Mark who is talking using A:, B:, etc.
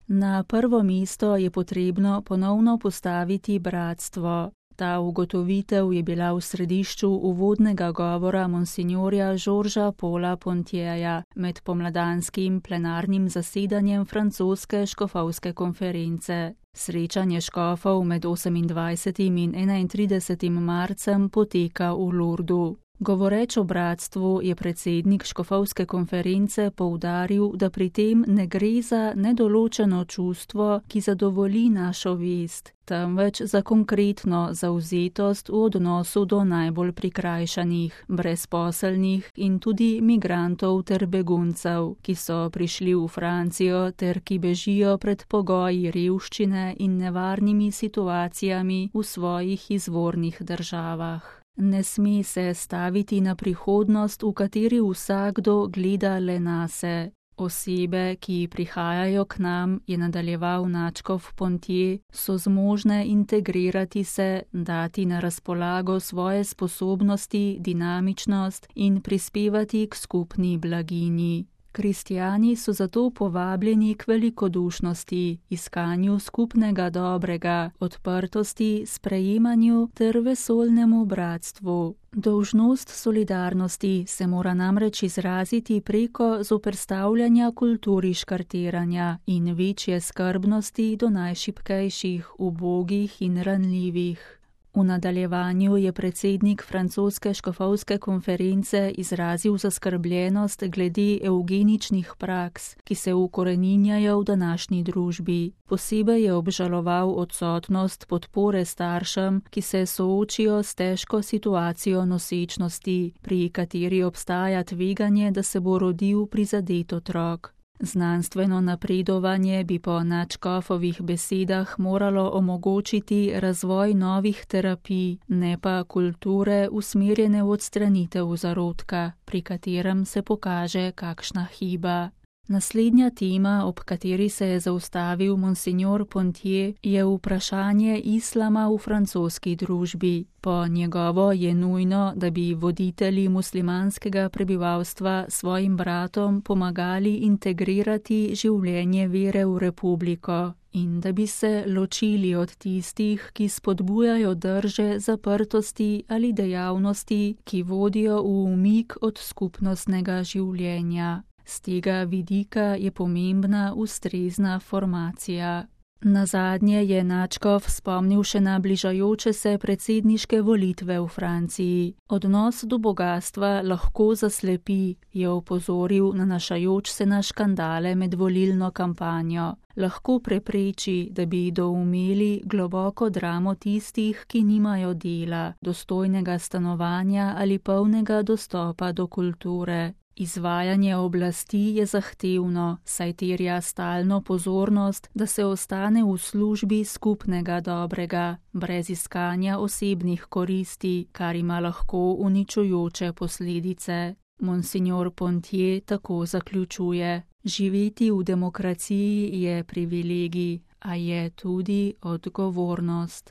A: Na prvo mesto je potrebno ponovno postaviti bratstvo. Ta ugotovitev je bila v središču uvodnega govora monsinjorja Georgesa Paula Pontierja med pomladanskim plenarnim zasedanjem francoske škofovske konference. Srečanje škofov med 28. in 31. marcem poteka v Lourdu. Govoreč o bratstvu je predsednik škofovske konference poudaril, da pri tem ne gre za nedoločeno čustvo, ki zadovolji našo vest, temveč za konkretno zavzetost v odnosu do najbolj prikrajšanih, brezposelnih in tudi migrantov ter beguncev, ki so prišli v Francijo ter ki bežijo pred pogoji revščine in nevarnimi situacijami v svojih izvornih državah. Ne sme se staviti na prihodnost, v kateri vsakdo gleda le nase. Osebe, ki prihajajo k nam, je nadaljeval nadškof Pontier, so zmožne integrirati se, dati na razpolago svoje sposobnosti, dinamičnost in prispevati k skupni blaginji. Kristjani so zato povabljeni k velikodušnosti, iskanju skupnega dobrega, odprtosti, sprejemanju ter vesoljnemu bratstvu. Dolžnost solidarnosti se mora namreč izraziti preko zoperstavljanja kulturi škartiranja in večje skrbnosti do najšibkejših, ubogih in ranljivih. V nadaljevanju je predsednik francoske škofovske konference izrazil zaskrbljenost glede evgeničnih praks, ki se ukoreninjajo v današnji družbi. Posebej je obžaloval odsotnost podpore staršem, ki se soočijo s težko situacijo nosečnosti, pri kateri obstaja tveganje, da se bo rodil prizadet otrok. Znanstveno napredovanje bi po nadškofovih besedah moralo omogočiti razvoj novih terapij, ne pa kulture usmerjene v odstranitev zarodka, pri katerem se pokaže kakšna hiba. Naslednja tema, ob kateri se je zaustavil monsinjor Pontier, je vprašanje islama v francoski družbi. Po njegovo je nujno, da bi voditelji muslimanskega prebivalstva svojim bratom pomagali integrirati življenje vere v republiko in da bi se ločili od tistih, ki spodbujajo drže zaprtosti ali dejavnosti, ki vodijo v umik od skupnostnega življenja. Z tega vidika je pomembna ustrezna formacija. Nazadnje je nadškof spomnil še na bližajoče se predsedniške volitve v Franciji. Odnos do bogastva lahko zaslepi, je opozoril, nanašajoč se na škandale med volilno kampanjo. Lahko prepreči, da bi doumeli globoko dramo tistih, ki nimajo dela, dostojnega stanovanja ali polnega dostopa do kulture. Izvajanje oblasti je zahtevno, saj terja stalno pozornost, da se ostane v službi skupnega dobrega, brez iskanja osebnih koristi, kar ima lahko uničujoče posledice. Monsinjor Pontier tako zaključuje: živeti v demokraciji je privilegij, a je tudi odgovornost.